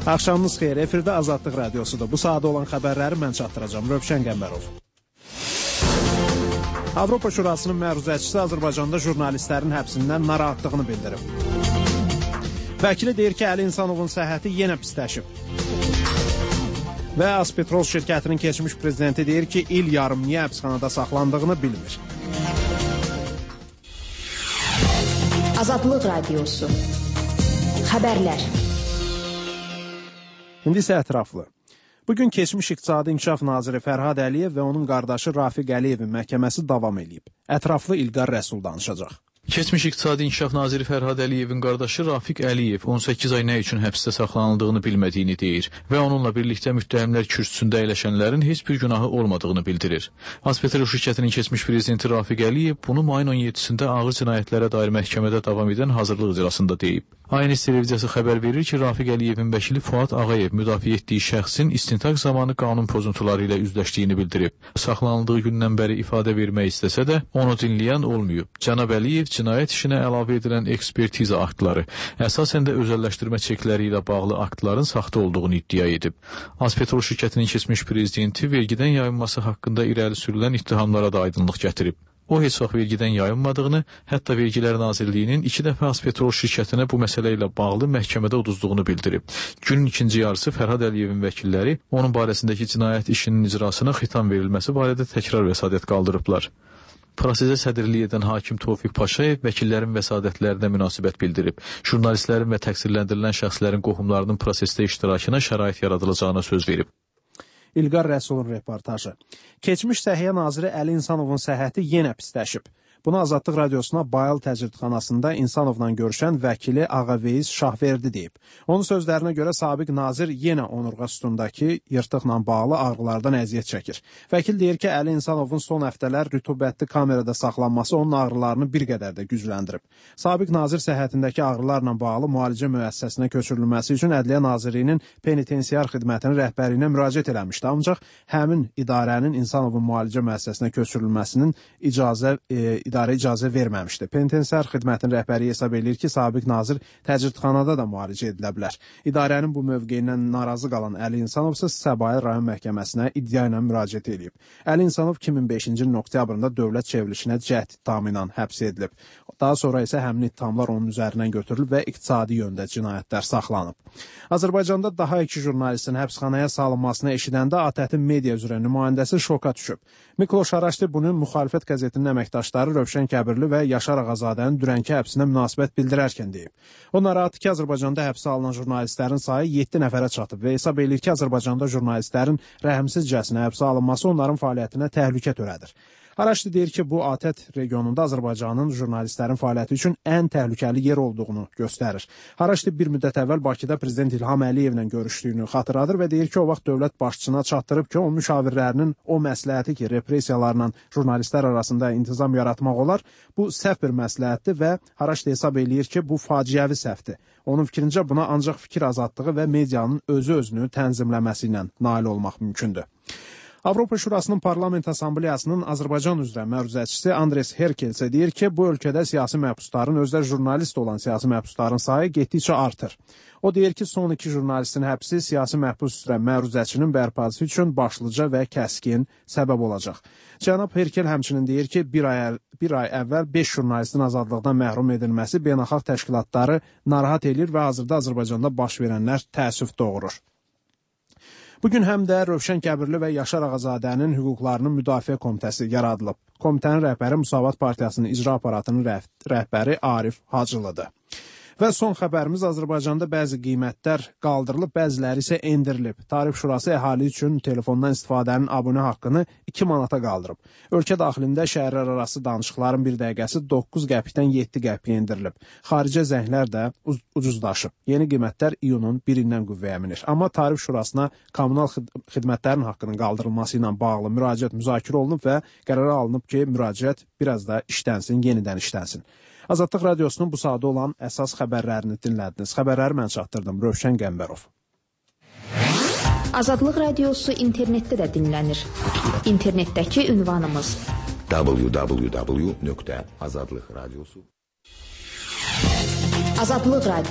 Axşamınız xeyir, efirdə Azadlıq Radiosudur. Bu sadə olan xəbərləri mən çatdıracağım. Rövşən Qəmbərov. Avropa Şurasının məruzəçisi Azərbaycanda jurnalistlərin həbsindən narahatlığını bildirib. Vəkili deyir ki, Əli İnsanovun səhhəti yenə pisləşib. Və Azpetrol şirkətinin keçmiş prezidenti deyir ki, il yarım niyə həbsxanada saxlandığını bilmir. Azadlıq Radiosu. Xəbərlər. İndi isə ətraflı. Bugün keçmiş İqtisadi İnkişaf Naziri Fərhad Əliyev və onun qardaşı Rafiq Əliyevin məhkəməsi davam edib. Ətraflı İlqar Rəsul danışacaq. Keçmiş İqtisadi İnkişaf Naziri Fərhad Əliyevin qardaşı Rafiq Əliyev 18 ay nə üçün həbsdə saxlanıldığını bilmədiyini deyir və onunla birlikdə müttəhimlər kürsüsündə əyləşənlərin heç bir günahı olmadığını bildirir. Azpetrol şirkətinin keçmiş prezidenti Rafiq Əliyev bunu mayın 17-sində ağır cinayətlərə dair məhkəmədə davam edən hazırlıq iclasında deyib. ANS televiziyası xəbər verir ki, Rafiq Əliyevin vəkili Fuad Ağayev müdafiə etdiyi şəxsin istintaq zamanı qanun pozuntuları ilə üzləşdiyini bildirib. Saxlanıldığı gündən bəri ifadə vermək istəsə də onu dinləyən olmayıb. Cənab Əliyev cinayət işinə əlavə edilən ekspertiza aktları, əsasən də özəlləşdirmə çekləri ilə bağlı aktların saxta olduğunu iddia edib. Azpetrol şirkətinin keçmiş prezidenti vergidən yayınması haqqında irəli sürülən ittihamlara da aydınlıq gətirib. O heç vaxt vergidən yayınmadığını, hətta Vergilər Nazirliyinin 2 dəfə Azpetrol şirkətinə bu məsələ ilə bağlı məhkəmədə uduzduğunu bildirib. Günün ikinci yarısı Fərhad Əliyevin vəkilləri onun barəsindəki cinayət işinin icrasına xitam verilməsi barədə təkrar vəsadət qaldırıblar. Prosesə sədrlik edən hakim Tofiq Paşayev vəkillərin vəsadətlərinə münasibət bildirib. Jurnalistlərin və təqsirləndirilən şəxslərin qohumlarının prosesdə iştirakına şərait yaradılacağına söz verib. İlqar Rəsulun reportajı. Keçmiş Səhiyyə Naziri Əli İnsanovun səhhəti yenə pisləşib. Bunu Azadlıq Radiosuna Bayıl təcridxanasında İnsanovla görüşən vəkili Ağaveyiz Şahverdi deyib. Onun sözlərinə görə sabiq nazir yenə onurğa sütundakı yırtıqla bağlı ağrılardan əziyyət çəkir. Vəkil deyir ki, Əli İnsanovun son həftələr rütubətli kamerada saxlanması onun ağrılarını bir qədər də gücləndirib. Sabiq nazir səhhətindəki ağrılarla bağlı müalicə müəssisəsinə köçürülməsi üçün Ədliyyə Nazirliyinin penitensiar xidmətinin rəhbərliyinə müraciət eləmişdi. Ancaq həmin idarənin İnsanovun müalicə müəssisəsinə köçürülməsinin idarə icazə verməmişdi. Penitensiar xidmətin rəhbəri hesab edir ki, sabiq nazir təcridxanada da müalicə edilə bilər. İdarənin bu mövqeyindən narazı qalan Əli İnsanov isə Səbail rayon məhkəməsinə iddia ilə müraciət edib. Əli İnsanov 2005-ci ilin oktyabrında dövlət çevrilişinə cəhd ittihamı ilə həbs edilib. Daha sonra isə həmin ittihamlar onun üzərindən götürülüb və iqtisadi yöndə cinayətlər saxlanıb. Azərbaycanda daha 2 jurnalistin həbsxanaya salınmasını eşidəndə ATƏT-in media üzrə nümayəndəsi şoka düşüb. Mikloş Araşdi bunun müxalifət qəzetinin əməkdaşları Rövşən Kəbirli və Yaşar Ağazadənin dünənki həbsinə münasibət bildirərkən deyib. O narahatdır ki, Azərbaycanda həbsə alınan jurnalistlərin sayı 7 nəfərə çatıb və hesab edir ki, Azərbaycanda jurnalistlərin rəhmsizcəsinə həbsə alınması onların fəaliyyətinə təhlükə törədir. Araşdi deyir ki, bu ATƏT regionunda Azərbaycanın jurnalistlərin fəaliyyəti üçün ən təhlükəli yer olduğunu göstərir. Araşdi bir müddət əvvəl Bakıda prezident İlham Əliyevlə görüşdüyünü xatırladır və deyir ki, o vaxt dövlət başçısına çatdırıb ki, o müşavirlərinin o məsləhəti ki, repressiyalarla jurnalistlər arasında intizam yaratmaq olar, bu səhv bir məsləhətdir və Araşdi hesab eləyir ki, bu faciəvi səhvdir. Onun fikrincə buna ancaq fikir azadlığı və medianın özünü tənzimləməsi ilə nail olmaq mümkündür. Avropa Şurasının Parlament Assambleyasının Azərbaycan üzrə məruzəçisi Andres Herkel isə deyir ki, bu ölkədə siyasi məhbusların, özləri jurnalist olan siyasi məhbusların sayı getdikcə artır. O deyir ki, son 2 jurnalistin həbsi siyasi məhbus üzrə məruzəçinin bərpası üçün başlıca və kəskin səbəb olacaq. Cənab Herkel həmçinin deyir ki, bir ay əvvəl 5 jurnalistin azadlıqdan məhrum edilməsi beynəlxalq təşkilatları narahat edir və hazırda Azərbaycanda baş verənlər təəssüf doğurur. Bugün həm də Rövşən Kəbirli və Yaşar Ağazadənin hüquqlarının müdafiə komitəsi yaradılıb. Komitənin rəhbəri Müsavat Partiyasının icra aparatının rəhbəri Arif Hacılıdır. Və son xəbərimiz Azərbaycanda bəzi qiymətlər qaldırılıb, bəziləri isə endirilib. Tarif Şurası əhali üçün telefondan istifadənin abunə haqqını 2 manata qaldırıb. Ölkə daxilində şəhərlər arası danışıqların 1 dəqiqəsi 9 qəpikdən 7 qəpiyə endirilib. Xaricə zənglər də ucuzlaşıb. Yeni qiymətlər iyunun 1-dən qüvvəyə minir. Amma Tarif Şurasına kommunal xidmətlərin haqqının qaldırılması ilə bağlı müraciət müzakirə olunub və qərara alınıb ki, müraciət biraz da işlənsin, yenidən işlənsin. Azadlıq Radiosunun bu sadə olan əsas xəbərlərini dinlədiniz. Xəbərləri mən çatdırdım. Rövşən Qəmbərov. Azadlıq Radiosu internetdə də dinlənir. İnternetdəki ünvanımız www.azadlıqradiosu. Azadlıq Radiosu